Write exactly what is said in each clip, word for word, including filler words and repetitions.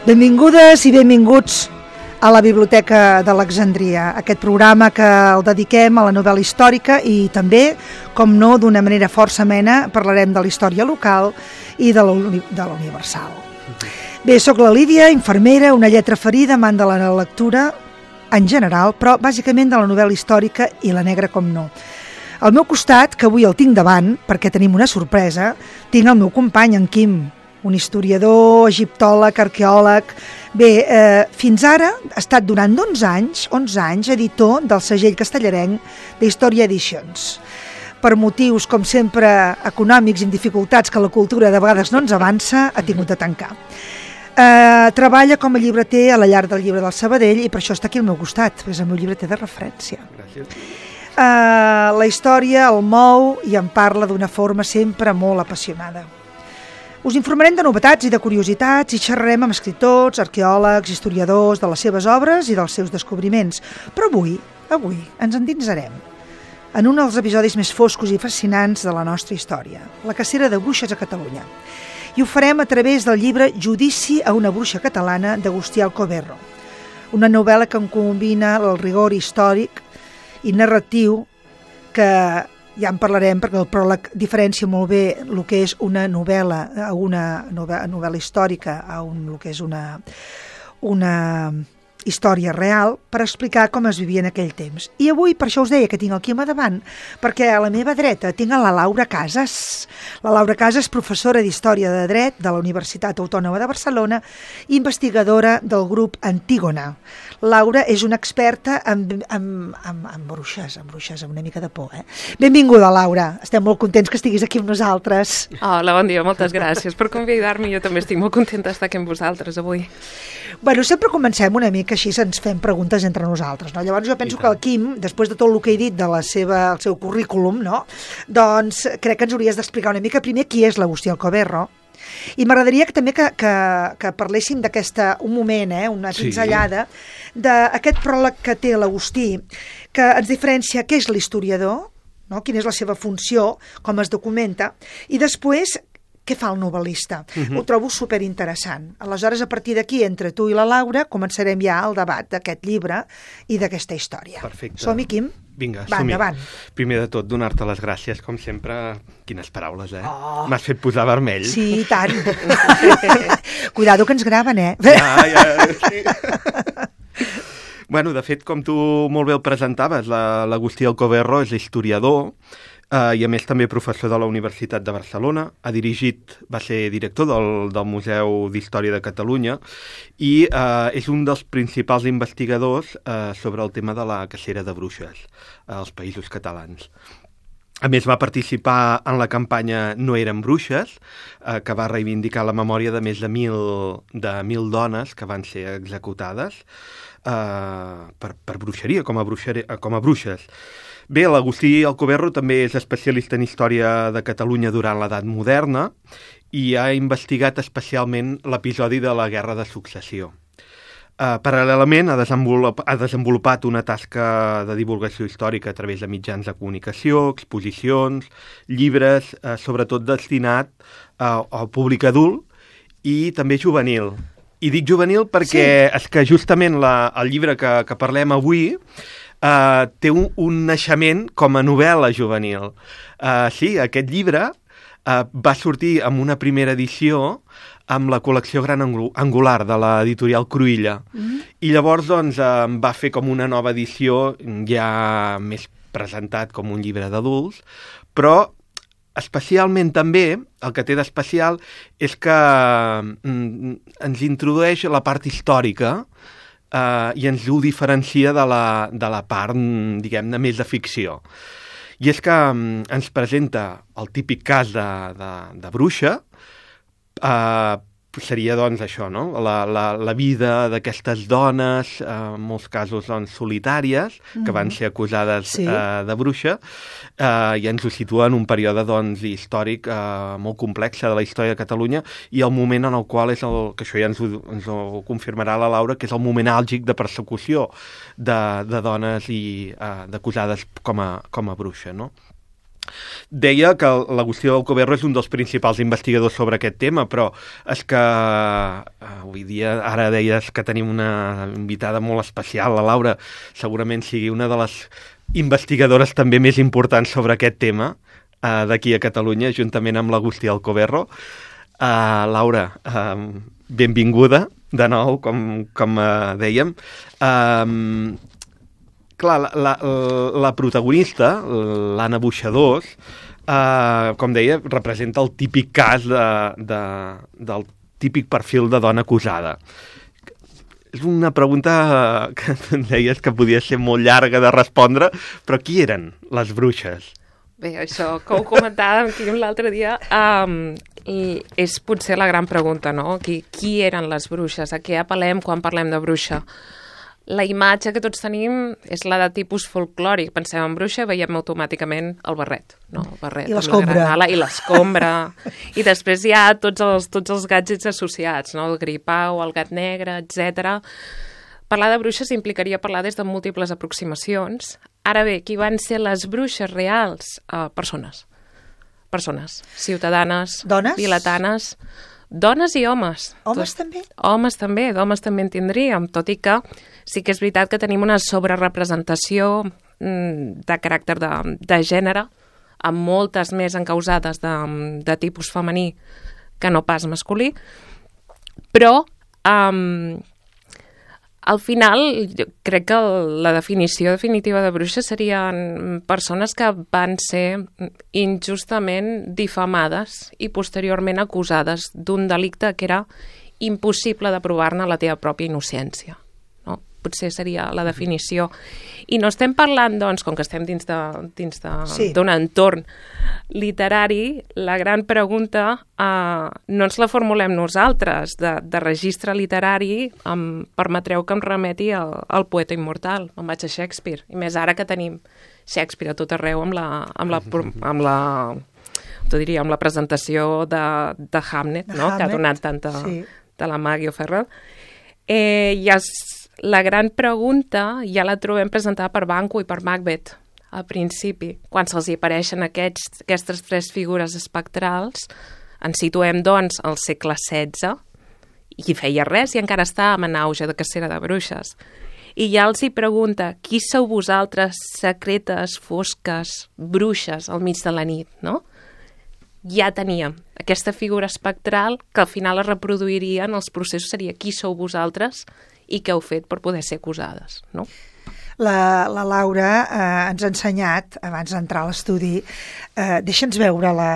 Benvingudes i benvinguts a la Biblioteca d'Alexandria, aquest programa que el dediquem a la novel·la històrica i també, com no, d'una manera força amena, parlarem de la història local i de la, de la universal. Bé, sóc la Lídia, infermera, una lletra ferida, amant de la lectura en general, però bàsicament de la novel·la històrica i la negra, com no. Al meu costat, que avui el tinc davant, perquè tenim una sorpresa, tinc el meu company, en Quim, un historiador, egiptòleg, arqueòleg. Bé, eh, fins ara ha estat durant onze anys, onze anys, editor del segell castellarenc d'Història Edicions. Per motius, com sempre, econòmics i amb dificultats que la cultura de vegades no ens avança, ha tingut de tancar. Eh, treballa com a llibreter a la llar del llibre del Sabadell i per això està aquí al meu costat, és el meu llibreter de referència. Gràcies. Eh, la història el mou i en parla d'una forma sempre molt apassionada. Us informarem de novetats i de curiositats i xerrarem amb escriptors, arqueòlegs, historiadors, de les seves obres i dels seus descobriments. Però avui, avui, ens endinsarem en un dels episodis més foscos i fascinants de la nostra història, la cacera de bruixes a Catalunya. I ho farem a través del llibre Judici a una bruixa catalana d'Agustí Alcoverro, una novel·la que combina el rigor històric i narratiu que ja en parlarem perquè el pròleg diferencia molt bé el que és una novel·la, una novel·la, novel·la històrica a un, el que és una, una història real per explicar com es vivia en aquell temps. I avui, per això us deia que tinc el Quim a davant, perquè a la meva dreta tinc a la Laura Casas. La Laura Casas, professora d'Història de Dret de la Universitat Autònoma de Barcelona i investigadora del grup Antígona. Laura és una experta en, en, en, en bruixes, en bruixes, amb una mica de por, eh? Benvinguda, Laura. Estem molt contents que estiguis aquí amb nosaltres. Hola, bon dia, moltes gràcies per convidar-me. Jo també estic molt contenta d'estar aquí amb vosaltres avui. Bueno, sempre comencem una mica així, ens fem preguntes entre nosaltres, no? Llavors jo penso que el Quim, després de tot el que he dit de la seva, el seu currículum, no? Doncs crec que ens hauries d'explicar una mica primer qui és l'Agustí Alcoverro. I m'agradaria que també que, que, que parléssim d'aquesta, un moment, eh, una pinzellada, sí, d'aquest pròleg que té l'Agustí, que ens diferencia què és l'historiador, no? Quina és la seva funció, com es documenta, i després què fa el novel·lista. Uh-huh. Ho trobo superinteressant. Aleshores, a partir d'aquí, entre tu i la Laura, començarem ja el debat d'aquest llibre i d'aquesta història. Perfecte. Som-hi, Quim? Vinga, Va, som-hi. endavant. Primer de tot, donar-te les gràcies, com sempre. Quines paraules, eh? Oh. M'has fet posar vermell. Sí, i tant. Cuidado que ens graven, eh? Ja, ja, sí. Bueno, de fet, com tu molt bé el presentaves, la, l'Agustí Alcoverro és historiador, Uh, i a més també professor de la Universitat de Barcelona, ha dirigit, va ser director del, del Museu d'Història de Catalunya i uh, és un dels principals investigadors uh, sobre el tema de la cacera de bruixes als Països Catalans. A més, va participar en la campanya No eren bruixes, eh, que va reivindicar la memòria de més de mil, de mil dones que van ser executades eh, per, per bruixeria, com a, bruixeria, com a bruixes. Bé, l'Agustí Alcoverro també és especialista en història de Catalunya durant l'edat moderna i ha investigat especialment l'episodi de la Guerra de Successió. Uh, paral·lelament ha desenvolupat, ha desenvolupat una tasca de divulgació històrica a través de mitjans de comunicació, exposicions, llibres, uh, sobretot destinat uh, al públic adult i també juvenil. I dic juvenil perquè sí, és que justament la, el llibre que, que parlem avui uh, té un, un naixement com a novel·la juvenil. Uh, sí, aquest llibre uh, va sortir amb una primera edició amb la col·lecció Gran Angular de l'editorial Cruïlla. Mm-hmm. I llavors doncs, eh, va fer com una nova edició ja més presentat com un llibre d'adults, però especialment també el que té d'especial és que mm, ens introdueix la part històrica eh, i ens ho diferencia de la, de la part, diguem-ne, més de ficció. I és que mm, ens presenta el típic cas de, de, de bruixa. Uh, seria doncs això, no? La, la, la vida d'aquestes dones, uh, en molts casos doncs, solitàries, mm-hmm, que van ser acusades sí, uh, de bruixa, uh, i ens ho situa en un període doncs, històric uh, molt complex de la història de Catalunya i el moment en el qual és el, que això ja ens ho, ens ho confirmarà la Laura, que és el moment àlgic de persecució de, de dones i uh, d'acusades com a, com a bruixa, no? Deia que l'Agustí Alcoverro és un dels principals investigadors sobre aquest tema, però és que avui dia, ara deies que tenim una invitada molt especial, la Laura, segurament sigui una de les investigadores també més importants sobre aquest tema eh, d'aquí a Catalunya, juntament amb l'Agustí Alcoverro. Uh, Laura, uh, benvinguda de nou, com, com uh, dèiem. Uh, clar, la, la, la protagonista, l'Anna Boixadors, uh, com deia, representa el típic cas de, de, del típic perfil de dona acusada. És una pregunta que deies que podia ser molt llarga de respondre, però qui eren les bruixes? Bé, això que ho comentàvem aquí l'altre dia, um, és potser la gran pregunta, no? Qui, qui eren les bruixes? A què apel·lem quan parlem de bruixa? La imatge que tots tenim és la de tipus folclòric. Pensem en bruixa, veiem automàticament el barret, no? El barret, I l'escombra. I l'escombra. I després hi ha tots els, tots els gadgets associats, no? El gripau, el gat negre, etcètera. Parlar de bruixes implicaria parlar des de múltiples aproximacions. Ara bé, qui van ser les bruixes reals? Uh, persones. Persones. Ciutadanes. Dones? Vilatans. Dones i homes. Homes Tot, també? Homes també, d'homes també en tindríem, tot i que sí que és veritat que tenim una sobrerepresentació mm, de caràcter de, de gènere, amb moltes més encausades de, de tipus femení que no pas masculí, però um, al final jo crec que la definició definitiva de bruixa serien persones que van ser injustament difamades i posteriorment acusades d'un delicte que era impossible de provar-ne la teva pròpia innocència. No? Potser seria la definició. I no estem parlant, doncs, com que estem dins d'un de, dins de, sí. entorn literari, la gran pregunta eh, no ens la formulem nosaltres, de, de registre literari, em permetreu que em remeti al, al poeta immortal, em vaig a Shakespeare, i més ara que tenim Shakespeare a tot arreu amb la, amb la, amb la, t'ho diria, amb la presentació de, de Hamlet, no? Hamlet, que ha donat tanta sí. de la Maggie O'Farrell. Eh, ja la gran pregunta ja la trobem presentada per Banquo i per Macbeth al principi, quan se'ls hi apareixen aquests, aquestes tres figures espectrals. Ens situem, doncs, al segle setze, i feia res, i encara estàvem en auge de cacera de bruixes. I ja els hi pregunta, qui sou vosaltres, secretes, fosques, bruixes, al mig de la nit, no? Ja teníem aquesta figura espectral que al final es reproduiria en els processos, seria qui sou vosaltres i què heu fet per poder ser acusades, no? La, la Laura eh, ens ha ensenyat, abans d'entrar a l'estudi, eh, deixa'ns veure la...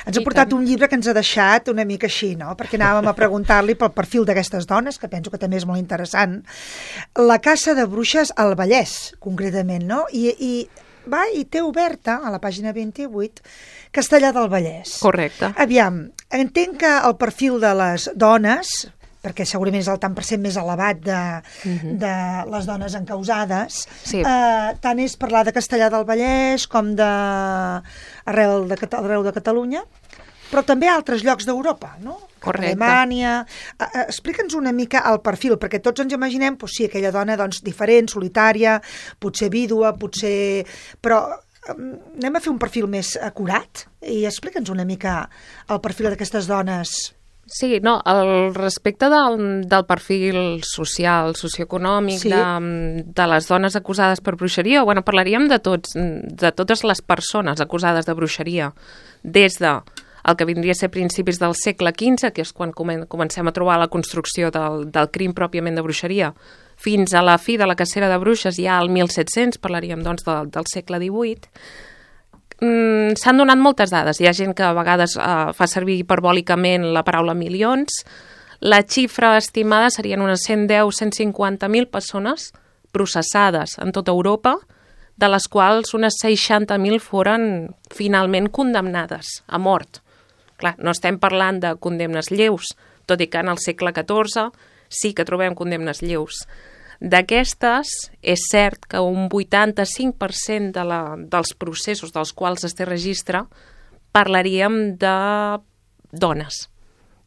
Ens ha portat un llibre que ens ha deixat una mica així, no? Perquè anàvem a preguntar-li pel perfil d'aquestes dones, que penso que també és molt interessant. La caça de bruixes al Vallès, concretament, no? I, i va, i té oberta, a la pàgina vint-i-vuit, Castellar del Vallès. Correcte. Aviam, entenc que el perfil de les dones, perquè segurament és el tant per cent més elevat de, uh-huh. de les dones encausades, sí. eh, tant és parlar de Castellar del Vallès com de arreu de, arreu de Catalunya, però també a altres llocs d'Europa, no? Correcte. Alemanya... Eh, explica'ns una mica el perfil, perquè tots ens imaginem, doncs sí, aquella dona doncs, diferent, solitària, potser vídua, potser... Però eh, anem a fer un perfil més acurat i explica'ns una mica el perfil d'aquestes dones. Sí, no, al respecte del, del perfil social, socioeconòmic, sí. de, de les dones acusades per bruixeria, bueno, parlaríem de, tots, de totes les persones acusades de bruixeria, des de el que vindria a ser principis del segle quinze, que és quan comencem a trobar la construcció del, del crim pròpiament de bruixeria, fins a la fi de la cacera de bruixes, ja al mil set-cents, parlaríem doncs del, del segle divuit, mm, s'han donat moltes dades. Hi ha gent que a vegades eh, fa servir hiperbòlicament la paraula milions. La xifra estimada serien unes cent deu a cent cinquanta mil persones processades en tota Europa, de les quals unes seixanta mil foren finalment condemnades a mort. Clar, no estem parlant de condemnes lleus, tot i que en el segle catorze sí que trobem condemnes lleus. D'aquestes, és cert que un vuitanta-cinc per cent de la, dels processos dels quals es té registre parlaríem de dones,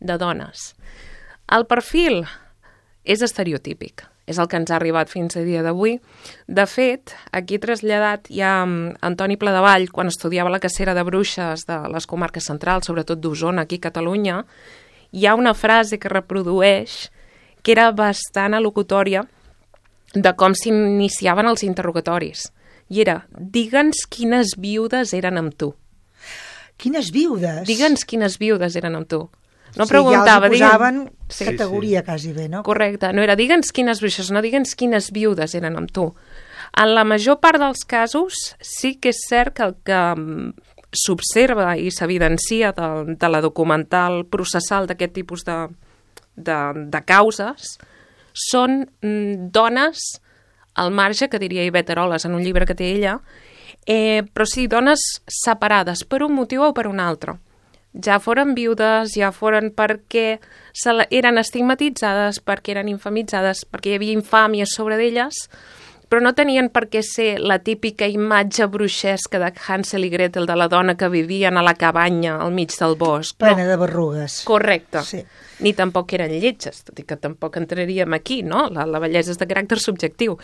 de dones. El perfil és estereotípic. és el que ens ha arribat fins a dia d'avui. De fet, aquí traslladat hi ha Antoni Pladevall, quan estudiava la cacera de bruixes de les comarques centrals, sobretot d'Osona, aquí a Catalunya, hi ha una frase que reprodueix que era bastant alocutòria de com s'iniciaven els interrogatoris. I era, digue'ns quines viudes eren amb tu. Quines viudes? Digue'ns quines viudes eren amb tu. No sí, preguntava, ja els posaven sí, categoria sí. quasi bé, no? Correcte, no era digue'ns quines bruixes, no digue'ns quines viudes eren amb tu. En la major part dels casos sí que és cert que el que s'observa i s'evidencia de, de la documental processal d'aquest tipus de, de, de causes són mm, dones al marge, que diria Ivette Eroles en un llibre que té ella, eh, però sí, dones separades per un motiu o per un altre. Ja foren viudes, ja foren perquè se la, eren estigmatitzades, perquè eren infamitzades, perquè hi havia infàmia sobre d'elles, però no tenien per què ser la típica imatge bruixesca de Hansel i Gretel, de la dona que vivien a la cabanya al mig del bosc. Plena no. de berrugues. Correcte. Sí. Ni tampoc eren lletges, tot i que tampoc entraríem aquí, no? La, la bellesa és de caràcter subjectiu.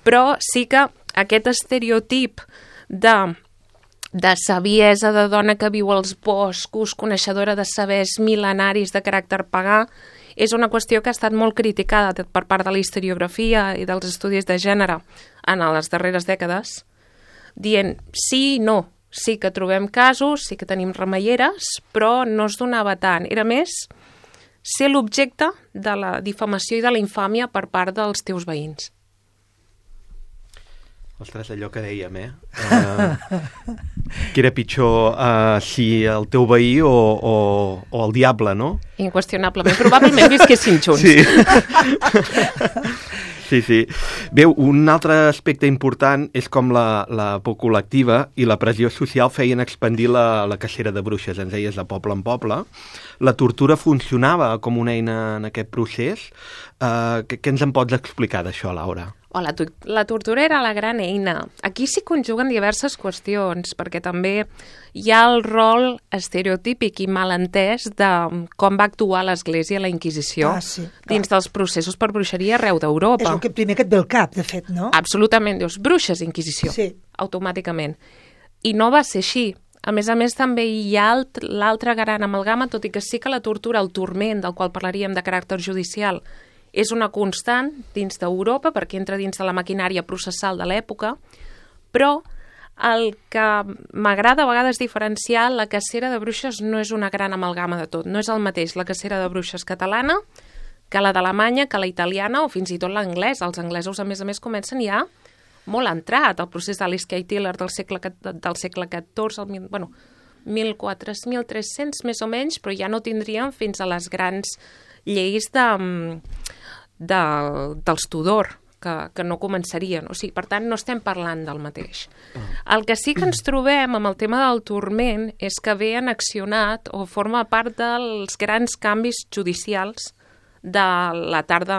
Però sí que aquest estereotip de... de saviesa de dona que viu als boscos, coneixedora de sabers mil·lenaris de caràcter pagà, és una qüestió que ha estat molt criticada per part de la historiografia i dels estudis de gènere en les darreres dècades, dient sí i no, sí que trobem casos, sí que tenim remeieres, però no es donava tant. Era més ser l'objecte de la difamació i de la infàmia per part dels teus veïns. Ostres, allò que dèiem, eh? Uh, que era pitjor uh, si el teu veí o, o, o el diable, no? Inqüestionablement. Probablement visquessin junts. Sí. Sí, sí. Bé, un altre aspecte important és com la, la por col·lectiva i la pressió social feien expandir la, la cacera de bruixes, ens deies, de poble en poble. La tortura funcionava com una eina en aquest procés. Uh, què, què ens en pots explicar d'això, Laura? Oh, la, la tortura era la gran eina. Aquí s'hi conjuguen diverses qüestions, perquè també hi ha el rol estereotípic i malentès de com va actuar l'Església a la Inquisició ah, sí, dins dels processos per bruixeria arreu d'Europa. És el que primer que et ve al cap, de fet, no? Absolutament. Dius, bruixes, Inquisició. Sí. Automàticament. I no va ser així. A més a més, també hi ha l'altra gran amalgama, tot i que sí que la tortura, el turment, del qual parlaríem de caràcter judicial, és una constant dins d'Europa, perquè entra dins de la maquinària processal de l'època, però el que m'agrada a vegades diferenciar, la cacera de bruixes no és una gran amalgama de tot, no és el mateix la cacera de bruixes catalana que la d'Alemanya, que la italiana o fins i tot l'anglès. Els anglesos, a més a més, comencen ja molt entrat el procés d'Alice Kay Tiller del segle, del segle catorze, el, bueno, mil quatre-cents, mil tres-cents més o menys, però ja no tindríem fins a les grans lleis de, de, dels Tudor, que, que no començarien. O sigui, per tant, no estem parlant del mateix. El que sí que ens trobem amb el tema del turment és que ve annexionat o forma part dels grans canvis judicials de la tarda,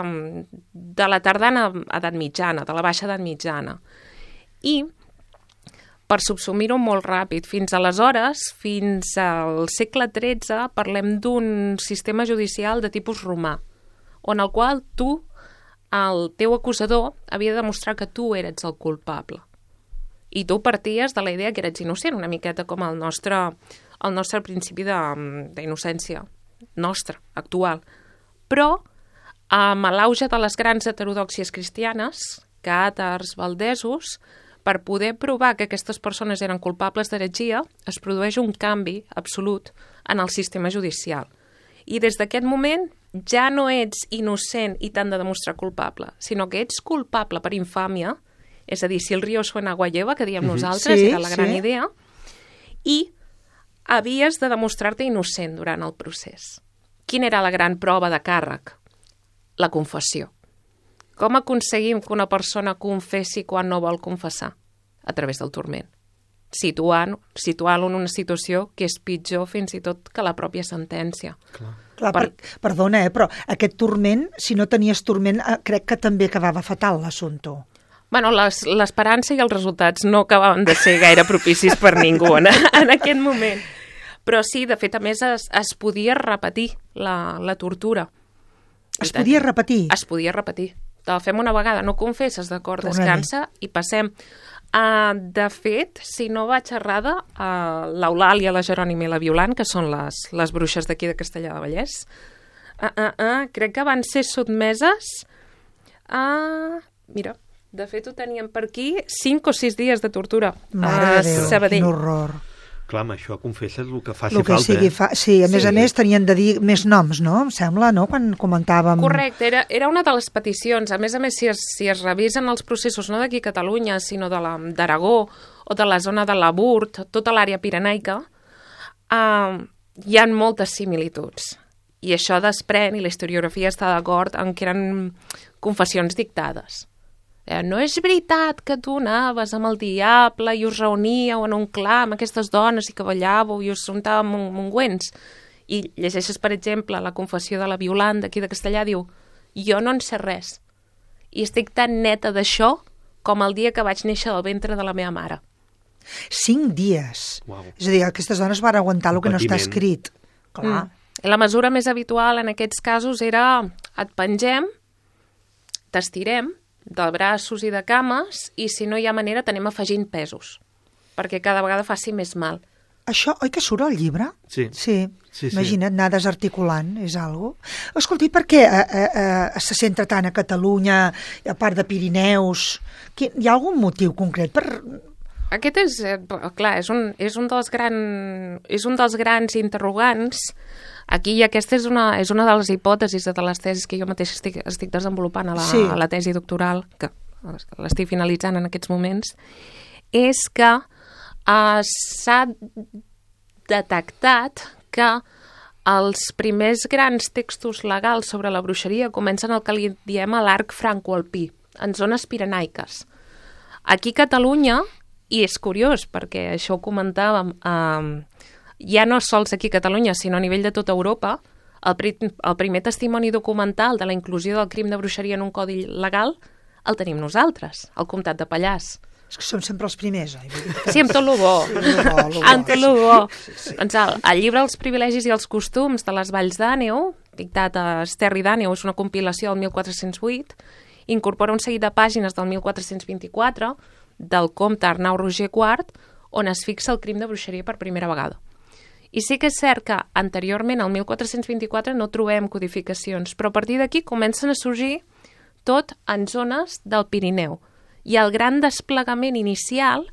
de la tardana edat mitjana, de la baixa edat mitjana. I, per subsumir-ho molt ràpid, fins aleshores, fins al segle tretze, parlem d'un sistema judicial de tipus romà, on el qual tu, el teu acusador, havia de demostrar que tu eres el culpable. I tu parties de la idea que eres innocent, una miqueta com el nostre, el nostre principi d'innocència nostre, actual. Però, amb l'auge de les grans heterodòxies cristianes, càtars, valdesos, per poder provar que aquestes persones eren culpables d'heretgia, es produeix un canvi absolut en el sistema judicial. I des d'aquest moment ja no ets innocent i t'han de demostrar culpable, sinó que ets culpable per infàmia, és a dir, si el río suena agua lleva, que diem nosaltres, sí, era la gran sí. idea, i havies de demostrar-te innocent durant el procés. Quina era la gran prova de càrrec? La confessió. Com aconseguim que una persona confessi quan no vol confessar? A través del turment. Situant, situant-lo en una situació que és pitjor fins i tot que la pròpia sentència. Clar. Clar, per... per, perdona, eh, però aquest turment, si no tenies turment, eh, crec que també quedava fatal l'assumpte. Bueno, l'esperança i els resultats no acabaven de ser gaire propicis per ningú en, en aquest moment. Però sí, de fet, a més, es, es podia repetir la, la tortura. Es podia repetir? Es podia repetir. Te la fem una vegada, no confesses, d'acord, descansa i passem. Uh, de fet, si no vaig errada, uh, l'Eulàlia, la Jerònima i la Violant, que són les, les bruixes d'aquí de Castellar de Vallès, uh, uh, uh, crec que van ser sotmeses a... Uh, mira, de fet ho teníem per aquí, cinc o sis dies de tortura. Mare de Déu, Sabadell. Quin horror. Clar, amb això confesses el que faci el que falta. Eh? Fa... Sí, a més sí. a més tenien de dir més noms, no? Em sembla, no?, quan comentàvem... Correcte, era, era una de les peticions. A més a més, si es, si es revisen els processos, no d'aquí a Catalunya, sinó de d'Aragó o de la zona de la Burt, tota l'àrea pirenaica, uh, hi ha moltes similituds. I això desprèn, i la historiografia està d'acord, en que eren confessions dictades. No és veritat que tu anaves amb el diable i us reuníeu en un clar amb aquestes dones i que ballàveu i us untàveu amb ungüents. I llegeixes, per exemple, la confessió de la Violant d'aquí de Castellà, diu, jo no en sé res i estic tan neta d'això com el dia que vaig néixer del ventre de la meva mare. Cinc dies. Wow. És a dir, aquestes dones van aguantar el que no està escrit. Clar. Mm. La mesura més habitual en aquests casos era et pengem, t'estirem, de braços i de cames, i si no hi ha manera t'anem afegint pesos, perquè cada vegada faci més mal. Això, oi que surt al llibre? Sí. Sí, sí, sí. Imagina't, anar desarticulant, és algo. Escolti, per què eh, eh, se centra tant a Catalunya, a part de Pirineus? Hi ha algun motiu concret per... Aquest és, eh, clar, és un, és un dels gran, és un dels grans interrogants. Aquí aquesta és una, és una de les hipòtesis de les tesis que jo mateix estic, estic desenvolupant a la, sí. a la tesi doctoral, que l'estic finalitzant en aquests moments, és que uh, s'ha detectat que els primers grans textos legals sobre la bruixeria comencen el que li diem a l'arc franco-alpí, en zones pirenaiques. Aquí a Catalunya, i és curiós perquè això ho comentàvem, eh, ja no sols aquí a Catalunya, sinó a nivell de tota Europa, el, pri el primer testimoni documental de la inclusió del crim de bruixeria en un codi legal el tenim nosaltres, al comtat de Pallars. És que som sempre els primers, oi? Sí, amb tot lo bo. Amb tot lo bo. Doncs el, el llibre Els privilegis i els costums de les Valls d'Àneu, dictat a Esterri d'Àneu, és una compilació del mil quatre-cents vuit, incorpora un seguit de pàgines del mil quatre-cents vint-i-quatre del comte Arnau Roger quart, on es fixa el crim de bruixeria per primera vegada. I sí que és cert que anteriorment, al mil quatre-cents vint-i-quatre, no trobem codificacions, però a partir d'aquí comencen a sorgir tot en zones del Pirineu. I el gran desplegament inicial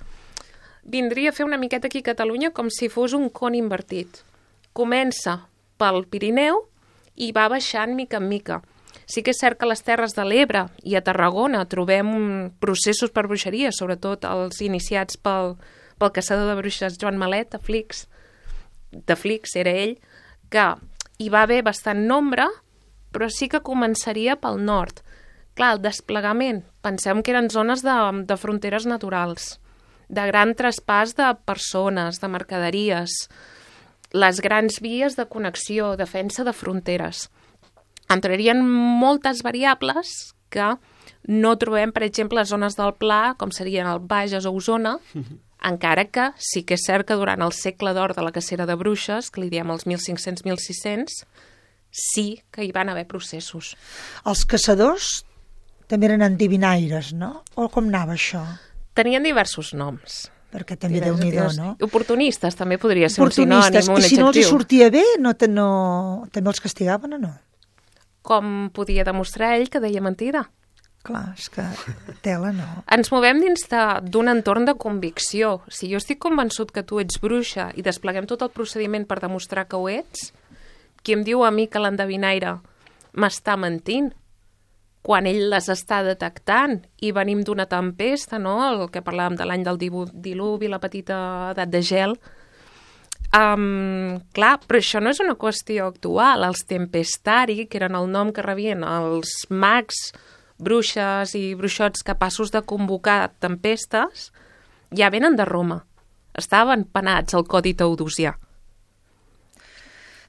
vindria a fer una miqueta aquí a Catalunya com si fos un con invertit. Comença pel Pirineu i va baixant mica en mica. Sí que és cert que a les Terres de l'Ebre i a Tarragona trobem processos per bruixeria, sobretot els iniciats pel, pel caçador de bruixes Joan Malet, a Flix, de Flix, era ell, que hi va haver bastant nombre, però sí que començaria pel nord. Clar, el desplegament, pensem que eren zones de, de fronteres naturals, de gran traspàs de persones, de mercaderies, les grans vies de connexió, defensa de fronteres. Entrarien moltes variables que no trobem, per exemple, a zones del Pla, com serien el Bages o Osona, uh-huh. encara que sí que és cert que durant el segle d'or de la cacera de bruixes, que li diem els mil cinc-cents mil sis-cents, sí que hi van haver processos. Els caçadors també eren endivinaires, no? O com anava això? Tenien diversos noms. Perquè també Déu-n'hi-do, no? Oportunistes també podria ser un sinònim, un adjectiu. I si no els sortia bé, no, no, també els castigaven o no? Com podia demostrar ell que deia mentida? Clar, és que tela no. Ens movem dins d'un entorn de convicció. Si jo estic convençut que tu ets bruixa i despleguem tot el procediment per demostrar que ho ets, qui em diu a mi que l'endevinaire m'està mentint? Quan ell les està detectant i venim d'una tempesta, no? El que parlàvem de l'any del diluvi, la petita edat de gel. Um, clar, però això no és una qüestió actual. Els tempestari, que eren el nom que rebien els mags, bruixes i bruixots capaços de convocar tempestes, ja venen de Roma. Estaven penats al Codi Teodosià.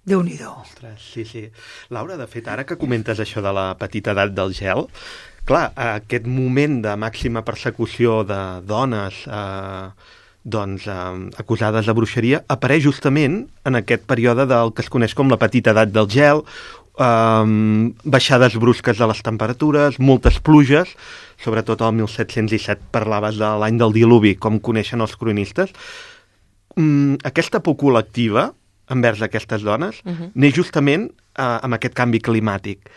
Déu-n'hi-do. Ostres, sí, sí. Laura, de fet, ara que comentes això de la petita edat del gel, clar, aquest moment de màxima persecució de dones eh, doncs, eh, acusades de bruixeria apareix justament en aquest període del que es coneix com la petita edat del gel, um, baixades brusques de les temperatures, moltes pluges, sobretot el mil set-cents disset parlaves de l'any del diluvi, com coneixen els cronistes. Um, aquesta por col·lectiva envers aquestes dones uh-huh. neix justament uh, amb aquest canvi climàtic.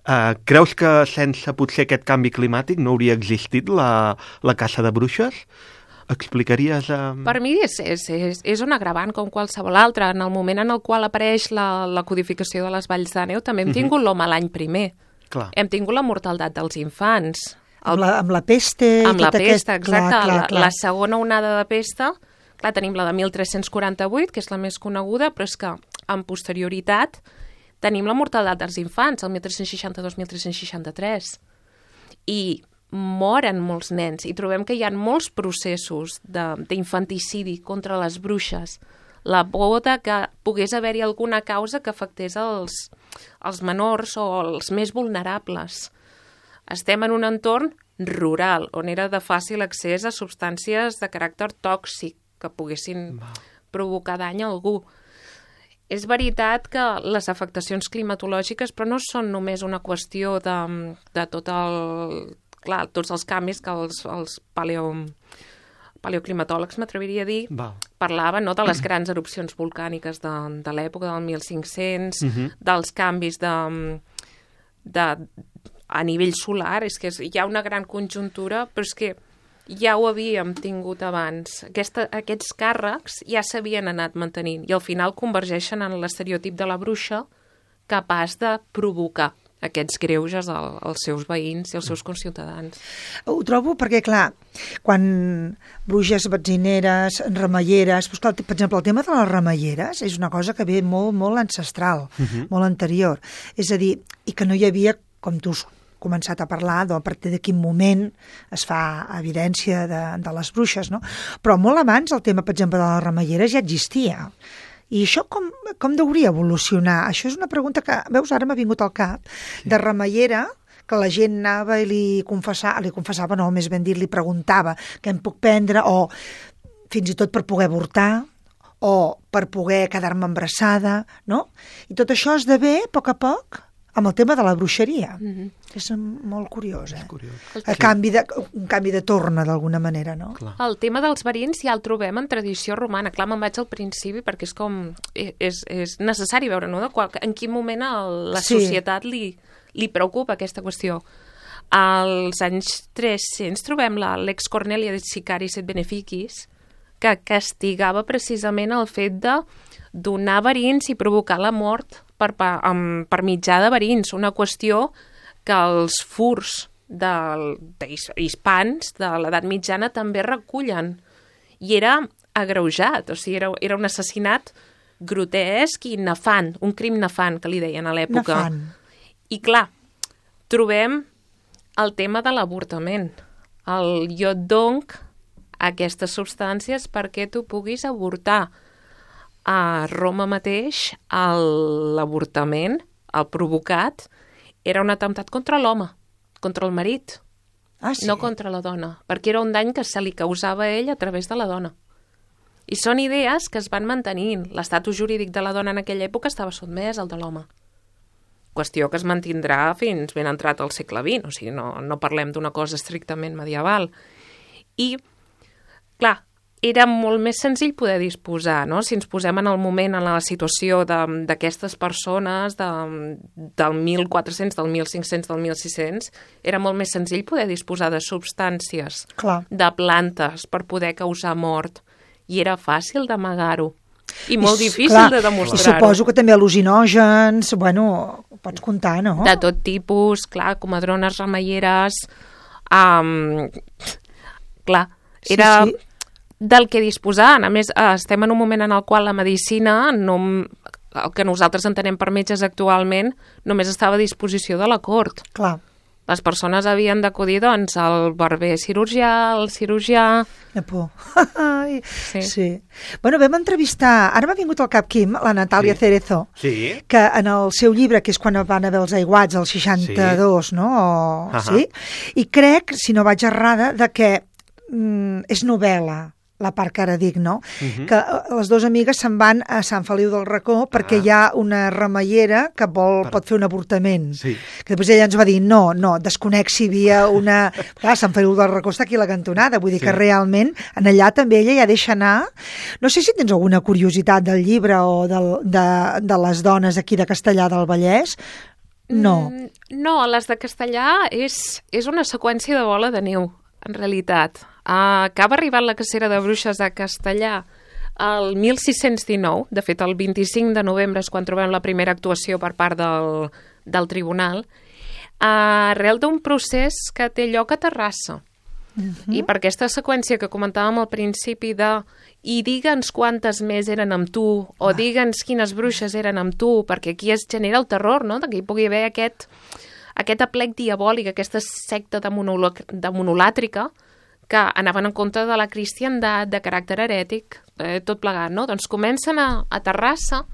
Uh, creus que sense potser aquest canvi climàtic no hauria existit la, la caça de bruixes? Explicaries? Um... Per mi és, és, és, és un agravant com qualsevol altre. En el moment en el qual apareix la, la codificació de les valls de neu també hem tingut uh-huh. l'home l'any primer. Clar. Hem tingut la mortaldat dels infants. El... Amb, la, amb la peste. Amb i la tot pesta, aquest... exacte. Clar, clar, clar. La, la segona onada de pesta, clar, tenim la de mil tres-cents quaranta-vuit, que és la més coneguda, però és que amb posterioritat tenim la mortaldat dels infants, el mil tres-cents seixanta-dos mil tres-cents seixanta-tres. I moren molts nens, i trobem que hi ha molts processos d'infanticidi contra les bruixes. La por de que pogués haver-hi alguna causa que afectés els, els menors o els més vulnerables. Estem en un entorn rural, on era de fàcil accés a substàncies de caràcter tòxic que poguessin provocar dany a algú. És veritat que les afectacions climatològiques però no són només una qüestió de, de tot el, clar, tots els canvis que els, els paleo, paleoclimatòlegs, m'atreviria a dir, Val. parlaven no, de les grans erupcions volcàniques de, de l'època del mil cinc-cents, uh-huh. dels canvis de, de, a nivell solar. És que és, hi ha una gran conjuntura, però és que ja ho havíem tingut abans. Aquesta, aquests càrrecs ja s'havien anat mantenint i al final convergeixen en l'estereotip de la bruixa capaç de provocar aquests greuges als seus veïns i als seus conciutadans. Ho trobo perquè, clar, quan bruixes, betzineres, remeieres... Doncs, clar, per exemple, el tema de les remeieres és una cosa que ve molt, molt ancestral, uh-huh. molt anterior. És a dir, i que no hi havia, com tu has començat a parlar, doncs, a partir de quin moment es fa evidència de, de les bruixes, no? Però molt abans el tema, per exemple, de les remeieres ja existia. I això com, com hauria evolucionar? Això és una pregunta que, veus, ara m'ha vingut al cap, de remeiera, que la gent anava i li confessava, li confessava, no, més ben dit, li preguntava què em puc prendre, o fins i tot per poder avortar, o per poder quedar-me embarassada, no? I tot això esdevé, a poc a poc, amb el tema de la bruixeria. Mm-hmm. És molt curiós, eh? És curiós. El canvi de, un canvi de torna, d'alguna manera, no? Clar. El tema dels verins ja el trobem en tradició romana. Clar, me'n vaig al principi perquè és com... És, és necessari veure, no?, de qual, en quin moment el, la sí. societat li, li preocupa aquesta qüestió. Als anys tres-cents trobem la Lex Cornelia de Sicaris et Beneficis, que castigava precisament el fet de donar verins i provocar la mort per, per, per mitjà de verins, una qüestió que els furs d'hispans de l'edat mitjana també recullen. I era agreujat, o sigui, era, era un assassinat grotesc i nefant, un crim nefant, que li deien a l'època. Nefant. I clar, trobem el tema de l'avortament. El iod donc aquestes substàncies perquè tu puguis avortar. A Roma mateix, l'avortament, el provocat, era un atemptat contra l'home, contra el marit, ah, sí? no contra la dona, perquè era un dany que se li causava a ell a través de la dona. I són idees que es van mantenint. L'estatus jurídic de la dona en aquella època estava sotmès al de l'home. Qüestió que es mantindrà fins ben entrat al segle vint, o sigui, no, no parlem d'una cosa estrictament medieval. I, clar, era molt més senzill poder disposar, no? Si ens posem en el moment, en la situació d'aquestes persones de, del mil quatre-cents, del mil cinc-cents, del mil sis-cents, era molt més senzill poder disposar de substàncies, Clar. de plantes per poder causar mort, i era fàcil d'amagar-ho. I molt I, difícil clar, de demostrar-ho. Suposo que també al·lucinògens, bueno, ho pots comptar, no? De tot tipus, clar, comadrones, remeieres... Um, clar, era... Sí, sí. Del que disposaven. A més, estem en un moment en el qual la medicina, no, el que nosaltres entenem per metges actualment, només estava a disposició de la cort. Clar. Les persones havien d'acudir, doncs, al barber cirurgià, al cirurgià... De por. sí. sí. Bueno, vam entrevistar, ara m'ha vingut al cap, Quim, la Natàlia sí. Cerezo, sí. que en el seu llibre, que és quan van haver els aiguats, el seixanta-dos, sí. no? O, uh-huh. sí? I crec, si no vaig errada, de que mm, és novel·la, la part que ara dic, no? Mhm. Que les dues amigues se'n van a Sant Feliu del Racó perquè Ah. hi ha una remeiera que vol, Per- pot fer un avortament. Sí. Que després ella ens va dir, no, no, desconec si hi havia una... Clar, Sant Feliu del Racó està aquí a la cantonada, vull dir Sí. que realment en allà també ella ja deixa anar. No sé si tens alguna curiositat del llibre o del, de, de les dones aquí de Castellar del Vallès. No. Mm, no, les de Castellar és, és una seqüència de bola de neu, en realitat. Uh, acaba arribant la cacera de bruixes de Castellar el mil sis-cents dinou, de fet el vint-i-cinc de novembre és quan trobem la primera actuació per part del, del tribunal, uh, arrel d'un procés que té lloc a Terrassa. Mhm. I per aquesta seqüència que comentàvem al principi de i digue'ns quantes més eren amb tu, o digue'ns quines bruixes eren amb tu, perquè aquí es genera el terror, no?, que hi pugui haver aquest, aquest aplec diabòlic, aquesta secta de, monolo, de monolàtrica que anaven en contra de la cristiandat, de caràcter herètic, eh, tot plegat, no? Doncs comencen a, a Terrassa,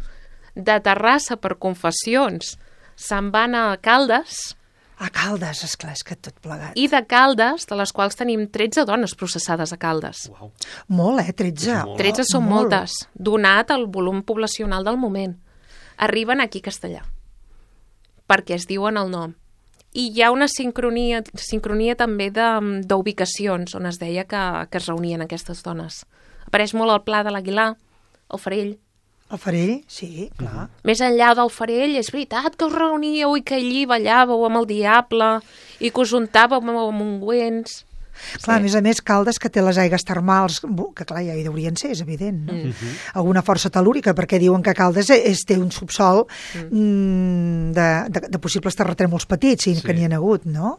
de Terrassa per confessions, se'n van a Caldes, A Caldes, esclar, és que tot plegat. i de Caldes, de les quals tenim tretze dones processades a Caldes. Uau. Molt, eh? tretze. És molt. tretze són molt. moltes, donat el volum poblacional del moment. Arriben aquí a Castellar, perquè es diuen el nom. I hi ha una sincronia, sincronia també de- d'ubicacions on es deia que, que es reunien aquestes dones. Apareix molt el Pla de l'Aguilar, el Farell. El Farell, sí, clar. Més enllà del Farell, és veritat que us reuníeu i que allí ballàveu amb el diable i que us untàveu amb ungüents. Clar, a més a més, Caldes, que té les aigües termals, bu- que clar, ja hi deurien ser, és evident, no? Mm. Alguna força telúrica, perquè diuen que Caldes és, té un subsol mm. de, de, de possibles terratrèmols petits, i Sí. que n'hi ha hagut, no?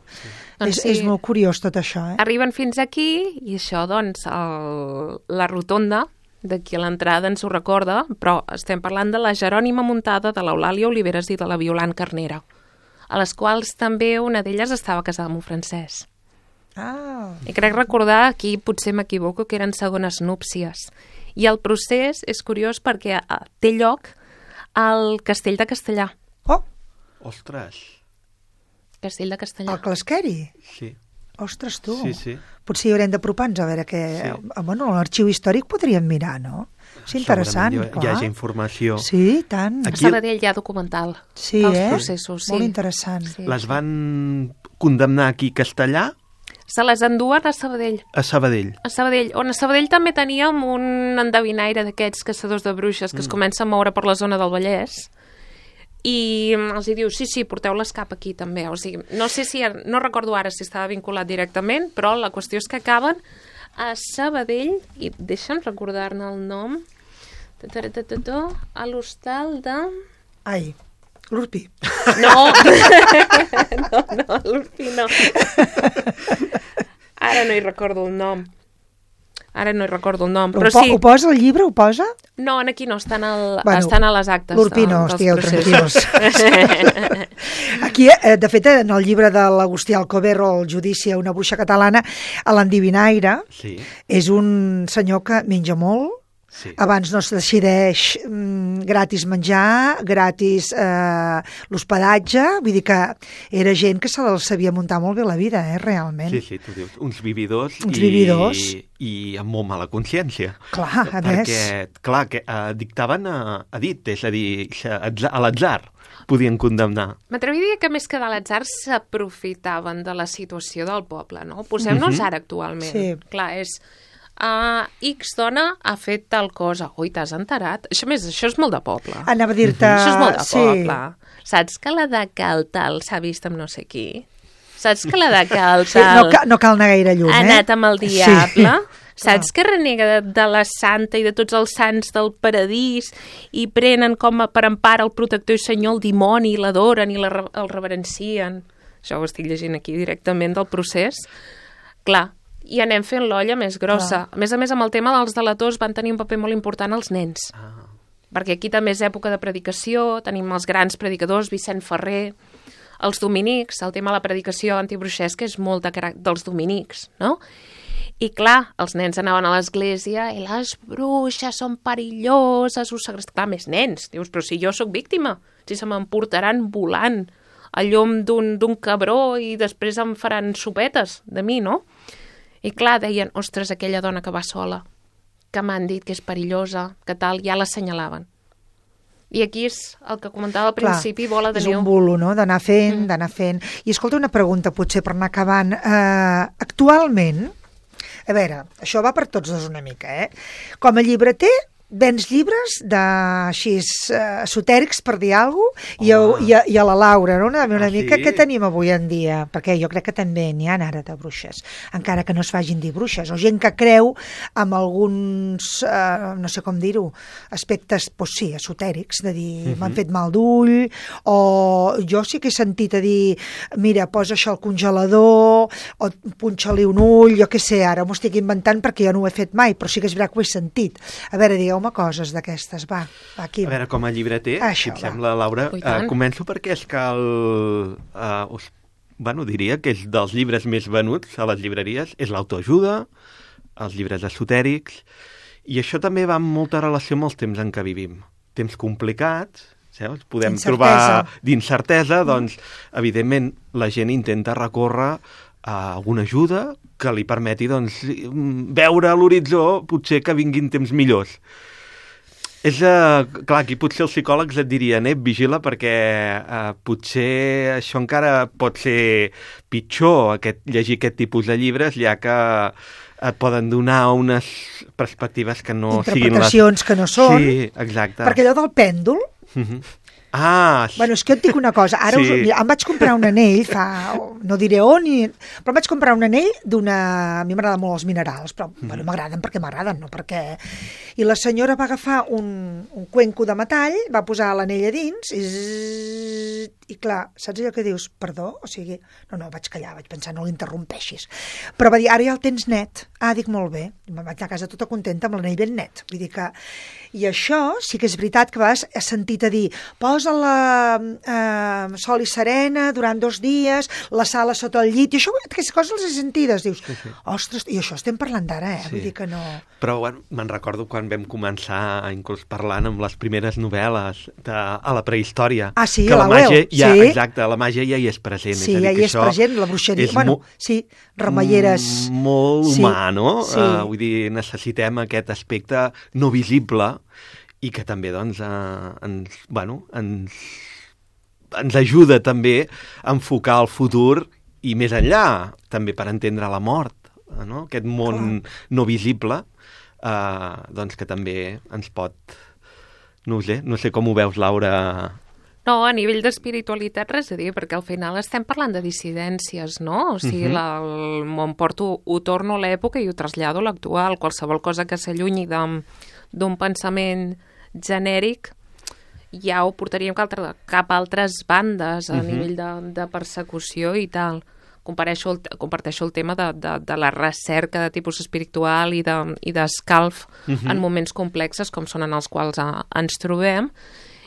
Doncs és, sí. és molt curiós tot això, eh? Arriben fins aquí i això, doncs, el, la rotonda d'aquí a l'entrada ens ho recorda, però estem parlant de la Jerònima Muntada, de l'Eulàlia Oliveres i de la Violant Carnera, a les quals també una d'elles estava casada amb un francès. Ah, I crec recordar, aquí potser m'equivoco, que eren segones núpcies. I el procés és curiós perquè eh, té lloc al Castell de Castellar. oh, Ostres. Castell de Castellar. el Clasqueri. Sí. Ostres, tu. Sí, sí. Potser hi haurem d'apropar-nos a veure què... Sí. Eh, bueno, l'arxiu històric podríem mirar, no? És interessant, Segurament hi, hi clar. hagi informació. Sí, tant. A Aquí- Sabadell hi ha documental Sí, dels eh? processos. Sí. Molt interessant. Sí. Les van condemnar aquí a Castellar, Se les enduen a Sabadell. a Sabadell. A Sabadell, on a Sabadell també teníem un endevinaire d'aquests caçadors de bruixes que es comença a moure per la zona del Vallès i els hi diu, sí, sí, porteu-les cap aquí també. O sigui, no sé si, no recordo ara si estava vinculat directament, però la qüestió és que acaben a Sabadell, i deixa'm recordar-ne el nom, Ta-ta-ta-ta-ta, a l'hostal de... Ai, l'Urpi. No, no, no, l'Urpi no. Ara no hi recordo el nom. Ara no hi recordo el nom, Ho, però po sí. ho posa al llibre, ho posa? No, aquí no, estan, al, Bueno, estan a les actes. l'Urpi no, dels estigueu processos. Aquí, eh, de fet, en el llibre de l'Agustí Alcoverro, El judici a una bruixa catalana, a l'endivinaire, Sí, és un senyor que menja molt, sí. abans no es decideix mm, gratis menjar, gratis eh, l'hospedatge, vull dir que era gent que se la sabia muntar molt bé la vida, eh, realment. Sí, sí, tu dius, uns vividors, Uns i, vividors. i amb molt mala consciència. Clar, a Perquè, més. clar, que eh, dictaven a, a dit, és a dir, a a l'atzar podien condemnar. M'atreviria que més que de l'atzar s'aprofitaven de la situació del poble, no? Posem-nos Mhm. ara actualment. Sí. Clar, és... Uh, X dona ha fet tal cosa. Ui, t'has enterat? Això, més, això és molt de poble. Anava a dir-te... Això és molt de sí. poble. Saps que la de cal tal s'ha vist amb no sé qui? Saps que la de cal Sí, tal no, ca no cal anar gaire lluny, ha eh? anat amb el diable? Sí. Saps que renega de, de la santa i de tots els sants del paradís i prenen com a per empara el protector i senyor el dimoni i l'adoren i la, re- el reverencien? Això ho estic llegint aquí directament del procés. Clar, i anem fent l'olla més grossa. Clar. A més a més, amb el tema dels delators van tenir un paper molt important els nens. Ah, Perquè aquí també és època de predicació, tenim els grans predicadors, Vicent Ferrer, els dominics, el tema de la predicació antibruixesca és molt de caràcter dels dominics, no? I clar, els nens anaven a l'església i les bruixes són perilloses, us segrest... Clar, més nens. Dius, però si jo sóc víctima, si se m'emportaran volant a llom d'un d'un cabró i després em faran sopetes de mi, no? I clar, deien, ostres, aquella dona que va sola, que m'han dit que és perillosa, que tal, ja l'assenyalaven. I aquí és el que comentava al principi, Clar, bola de és neu. un bulo, no?, d'anar fent, mm. d'anar fent. I escolta, una pregunta, potser per anar acabant. Uh, actualment, a veure, això va per tots dos una mica, eh? Com a llibreter, vens llibres de, així, uh, esotèrics, per dir alguna cosa, i, i, a, i a la Laura, no? Una, una ah, mica, sí? Què tenim avui en dia? Perquè jo crec que també n'hi ha ara de bruixes, encara que no es facin dir bruixes, o gent que creu amb alguns, uh, no sé com dir-ho, aspectes, doncs sí, esotèrics, de dir, uh-huh. m'han fet mal d'ull, o jo sí que he sentit a dir, mira, posa això al congelador, o punxa-li un ull, jo què sé, ara m'ho estic inventant perquè jo no ho he fet mai, però sí que és veritat que ho he sentit. A veure, digueu home coses d'aquestes, va, va, aquí. A veure, com a llibreter, Això, si et sembla, Laura, uh, començo perquè és que el... Uh, us, bueno, diria que és dels llibres més venuts a les llibreries, és l'autoajuda, els llibres esotèrics, i això també va amb molta relació amb els temps en què vivim. Temps complicats, saps? Podem trobar d'incertesa, doncs, evidentment, la gent intenta recórrer a alguna ajuda que li permeti, doncs, veure a l'horitzó potser que vinguin temps millors. És, uh, clar, aquí potser els psicòlegs et dirien, eh, vigila perquè uh, potser això encara pot ser pitjor, aquest, llegir aquest tipus de llibres, ja que et poden donar unes perspectives que no siguin les... Interpretacions que no són. Sí, exacte. Perquè allò del pèndol... Uh-huh. Ah, bueno, és que jo et dic una cosa, ara sí. us, mira, em vaig comprar un anell fa, no diré on, ni, però em vaig comprar un anell d'una, a mi m'agraden molt els minerals, però mm. bueno, m'agraden perquè m'agraden, no perquè... I la senyora va agafar un, un cuenco de metall, va posar l'anell a dins i, zzz, i clar, saps allò que dius, perdó? O sigui, no, no, vaig callar, vaig pensar, no l'interrompeixis. Però va dir, ara ja el tens net. Ah, dic, molt bé. Me'n vaig a casa tota contenta amb l'anell ben net. Vull dir que... I això sí que és veritat que vas he sentit a dir, posa la eh, sol i serena durant dos dies, la sala sota el llit, i això, aquestes coses les he sentides, dius, sí, sí. Ostres, i això estem parlant d'ara, eh? Sí. Vull dir que no... Però, bueno, me'n recordo quan vam començar, inclús parlant amb les primeres novel·les de, a la prehistòria. Ah, sí, que la màgia, ja, sí. Exacte, la màgia ja hi és present. Sí, és a dir, ja hi és present, la bruixeria, bueno, sí, remeieres... Molt sí, humà, no? Sí. Uh, vull dir, necessitem aquest aspecte no visible i que també, doncs, uh, ens, bueno, ens, ens ajuda també a enfocar el futur i més enllà, també per entendre la mort, no? Aquest món Clar. no visible, uh, doncs que també ens pot... No ho sé, no sé com ho veus, Laura... No, a nivell d'espiritualitat res a dir, perquè al final estem parlant de dissidències, no? O sigui, uh-huh. la, el, m'ho porto, ho torno a l'època i ho trasllado a l'actual. Qualsevol cosa que s'allunyi d'un pensament genèric ja ho portaríem cap a altres bandes a uh-huh. nivell de, de persecució i tal. Compareixo el, comparteixo el tema de, de, de la recerca de tipus espiritual i d'escalf de, i uh-huh. en moments complexes com són en els quals a, ens trobem,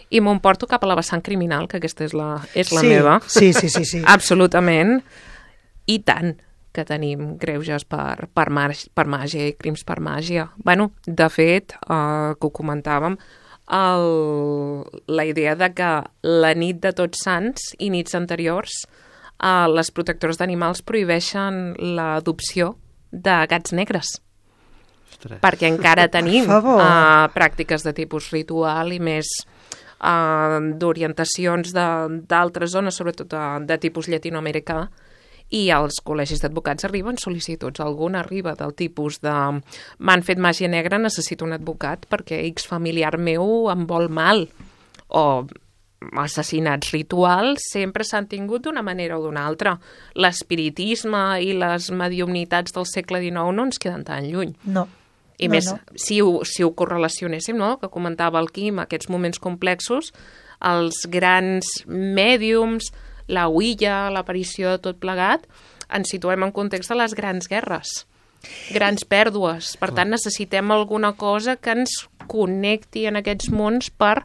i m'ho porto cap a la vessant criminal, que aquesta és la, és la sí, meva. Sí, sí, sí, sí. Absolutament. I tant que tenim greuges per, per, mar, per màgia i crims per màgia. Bueno, de fet, eh, que ho comentàvem, el, la idea de que la nit de Tots Sants i nits anteriors eh, les protectores d'animals prohibeixen l'adopció de gats negres. Ostres. Perquè encara tenim eh, pràctiques de tipus ritual i més eh, d'orientacions d'altres zones, sobretot de, de tipus llatinoamericà, i als col·legis d'advocats arriben sol·licituds. Alguna arriba del tipus de m'han fet màgia negra, necessito un advocat perquè X familiar meu em vol mal. O assassinats rituals sempre s'han tingut d'una manera o d'una altra. L'espiritisme i les mediumnitats del segle dinou no ens queden tan lluny. No. I no, més, no. Si, ho, si ho correlacionéssim, no?, que comentava el Quim, aquests moments complexos, els grans mèdiums, la Ouija, l'aparició de tot plegat, ens situem en context de les grans guerres, grans pèrdues. Per tant, necessitem alguna cosa que ens connecti en aquests mons per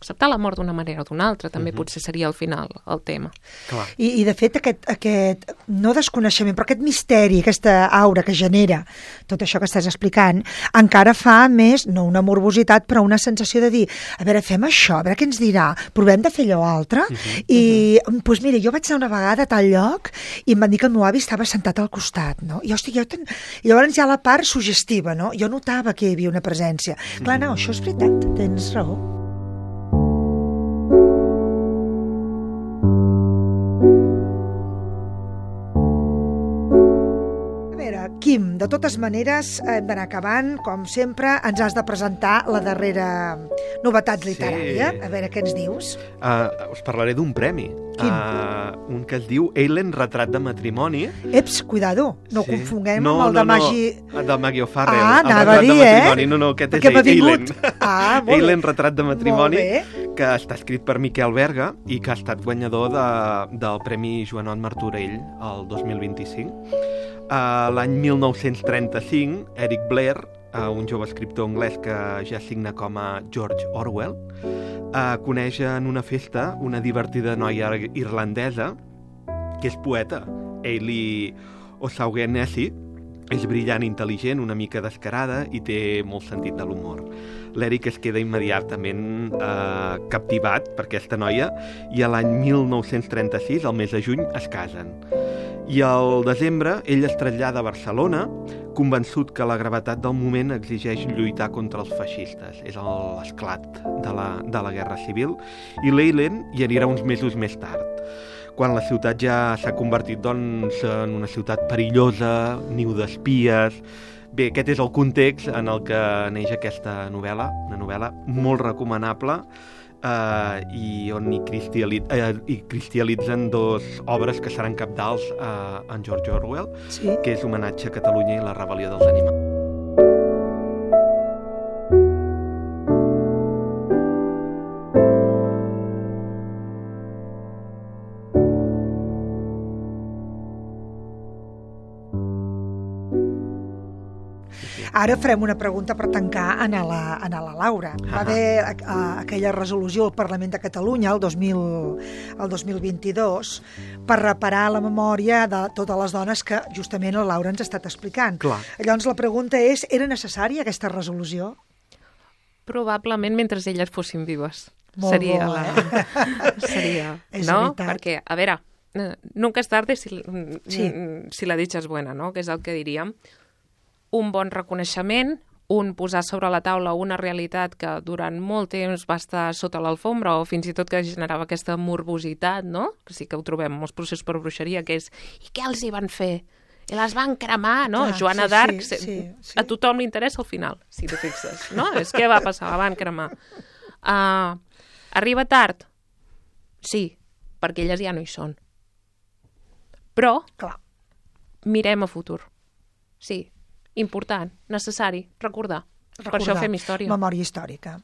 acceptar la mort d'una manera o d'una altra, també uh-huh. potser seria al final el tema. Clar. I, I de fet aquest, aquest, no desconeixement, però aquest misteri, aquesta aura que genera tot això que estàs explicant, encara fa més, no una morbositat, però una sensació de dir, a veure, fem això, a veure què ens dirà, provem de fer allò altre, uh-huh. i doncs pues mira, jo vaig anar una vegada a tal lloc i em van dir que el meu avi estava sentat al costat, no? I, hòstia, jo ten... I llavors hi ha la part suggestiva, no? Jo notava que hi havia una presència. Clar, no, això és veritat, tens raó. Quim, de totes maneres, hem d'anar acabant, com sempre, ens has de presentar la darrera novetat literària. Sí. A veure, què ens dius? Uh, us parlaré d'un premi. Quin? Uh, un que es diu Eilen, retrat de matrimoni. Eps, cuidado, no sí. confonguem no, amb el no, de Maggi... No, del Maggie O'Farrell. Ah, anava a dir, eh? No, no, aquest Perquè és Eilen. Ah, molt Eilen, bé. retrat de matrimoni, que està escrit per Miquel Berga i que ha estat guanyador de, del Premi Joanot Martorell el dos mil vint-i-cinc. Uh, L'any mil nou-cents trenta-cinc, Eric Blair, uh, un jove escriptor anglès que ja signa com a George Orwell, uh, coneix en una festa una divertida noia irlandesa que és poeta. Ailey O'Shaughnessy és brillant, intel·ligent, una mica descarada i té molt sentit de l'humor. L'Eric es queda immediatament eh, captivat per aquesta noia i a l'any mil nou-cents trenta-sis, al mes de juny, es casen. I al desembre ell es trasllada a Barcelona, convençut que la gravetat del moment exigeix lluitar contra els feixistes. És l'esclat de la, de la Guerra Civil, i l'Eilen hi anirà uns mesos més tard, quan la ciutat ja s'ha convertit doncs, en una ciutat perillosa, niu d'espies. Bé, aquest és el context en el que neix aquesta novel·la, una novel·la molt recomanable, Uh, i on hi, cristal·li- uh, hi cristal·litzen dos obres que seran cabdals uh, en George Orwell, sí. que és Homenatge a Catalunya i la rebel·lió dels animals. Ara farem una pregunta per tancar a la, a la Laura. Va haver a, a, aquella resolució al Parlament de Catalunya el dos mil, el dos mil vint-i-dos per reparar la memòria de totes les dones que justament la Laura ens ha estat explicant. Clar. Llavors la pregunta és, era necessària aquesta resolució? Probablement mentre elles fossin vives. Molt seria bo, la... eh? seria, és no? veritat. Perquè, a veure, nunca es tarde si, sí. si la dicha és buena, no? Que és el que diríem. Un bon reconeixement, un posar sobre la taula una realitat que durant molt temps va estar sota l'alfombra o fins i tot que generava aquesta morbositat, no? Que sí que ho trobem en molts processos per bruixeria, que és i què els hi van fer? I les van cremar, no? Clar, Joana sí, d'Arc, sí, sí, sí. a tothom li interessa al final, si t'hi fixes, no? És què va passar, la van cremar. Uh, arriba tard? Sí, perquè elles ja no hi són. Però Clar. mirem a futur. Sí, important, necessari, recordar. recordar. Per això fem història. Memòria històrica.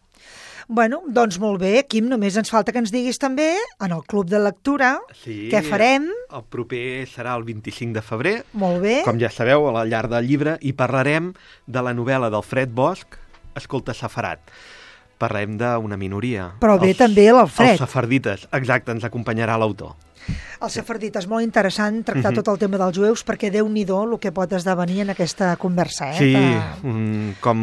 Bueno, doncs molt bé, Quim, només ens falta que ens diguis també, en el Club de Lectura, sí, què farem. El proper serà el vint-i-cinc de febrer. Molt bé. Com ja sabeu, a la llar del llibre, i parlarem de la novel·la d'Alfred Bosch, Escolta Safarat. Parlem d'una minoria. Però bé, els, també l'Alfred. Els safardites, exacte, ens acompanyarà l'autor. El safardita, és molt interessant tractar uh-huh. tot el tema dels jueus perquè Déu-n'hi-do el que pot esdevenir en aquesta conversa. Eh? Sí, que... um, com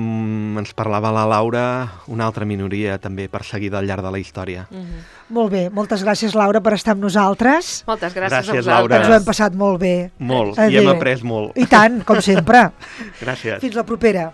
ens parlava la Laura, una altra minoria també perseguida al llarg de la història. Uh-huh. Molt bé, moltes gràcies, Laura, per estar amb nosaltres. Moltes gràcies, gràcies a vosaltres. Laura. Ens ho hem passat molt bé. Molt, Adéu. i hem après molt. I tant, com sempre. Gràcies. Fins la propera.